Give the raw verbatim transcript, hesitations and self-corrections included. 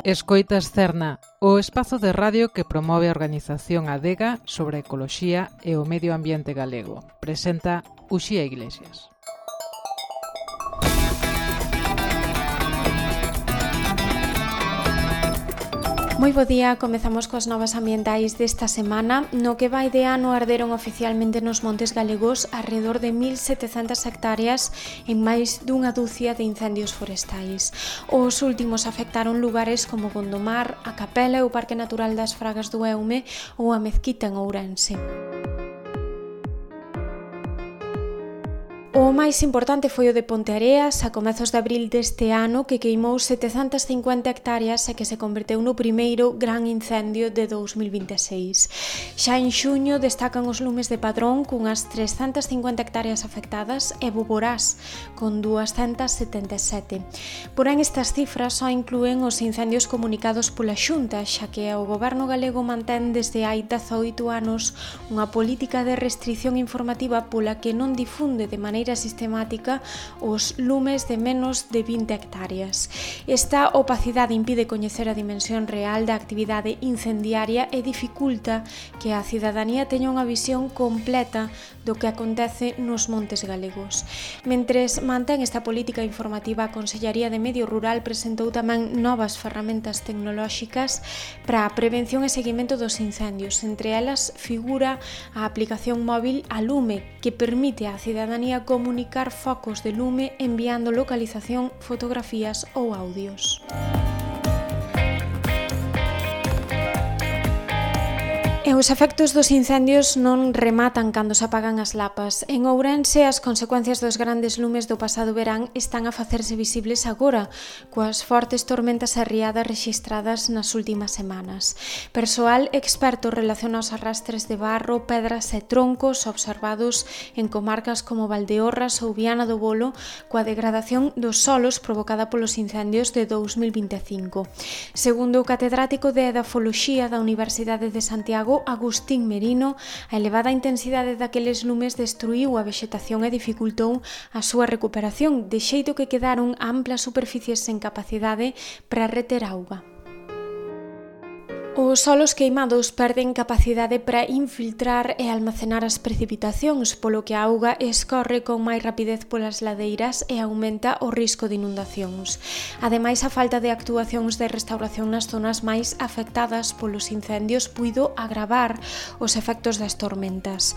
Escoitas Cerna, o espazo de radio que promove a organización Adega sobre a ecoloxía e o medio ambiente galego. Presenta Uxía Iglesias. Moi bo día, comezamos coas novas ambientais desta semana. No que vai de ano arderon oficialmente nos montes galegos alrededor de mil setecentas hectáreas en máis dunha dúcia de incendios forestais. Os últimos afectaron lugares como Gondomar, a Capela e o Parque Natural das Fragas do Eume ou a Mezquita en Ourense. O máis importante foi o de Ponteareas a comezos de abril deste ano, que queimou setecentas cincuenta hectáreas e que se converteu no primeiro gran incendio de dous mil vinte e seis. Xa en xuño destacan os lumes de Padrón cunhas trescentas cincuenta hectáreas afectadas e Boborás con duascentas setenta e sete. Porén, estas cifras só inclúen os incendios comunicados pola Xunta, xa que o goberno galego mantén desde hai dezaoito anos unha política de restrición informativa pola que non difunde de maneira sistemática os lumes de menos de vinte hectáreas. Esta opacidade impide coñecer a dimensión real da actividade incendiaria e dificulta que a cidadanía teña unha visión completa do que acontece nos montes galegos. Mentres mantén esta política informativa, a Consellaría de Medio Rural presentou tamén novas ferramentas tecnolóxicas para a prevención e seguimento dos incendios. Entre elas figura a aplicación móvil a Lume, que permite á cidadanía comunicar focos de lume enviando localización, fotografías ou audios. E os efectos dos incendios non rematan cando se apagan as lapas. En Ourense, as consecuencias dos grandes lumes do pasado verán están a facerse visibles agora, coas fortes tormentas e riadas rexistradas nas últimas semanas. Persoal experto relaciona os arrastres de barro, pedras e troncos observados en comarcas como Valdeorras ou Viana do Bolo coa degradación dos solos provocada polos incendios de dous mil vinte e cinco. Segundo o catedrático de Edafoloxía da Universidade de Santiago, Agustín Merino, a elevada intensidade daqueles lumes destruíu a vexetación e dificultou a súa recuperación, de xeito que quedaron amplas superficies sen capacidade para reter auga. Os solos queimados perden capacidade para infiltrar e almacenar as precipitacións, polo que a auga escorre con máis rapidez polas ladeiras e aumenta o risco de inundacións. Ademais, a falta de actuacións de restauración nas zonas máis afectadas polos incendios puido agravar os efectos das tormentas.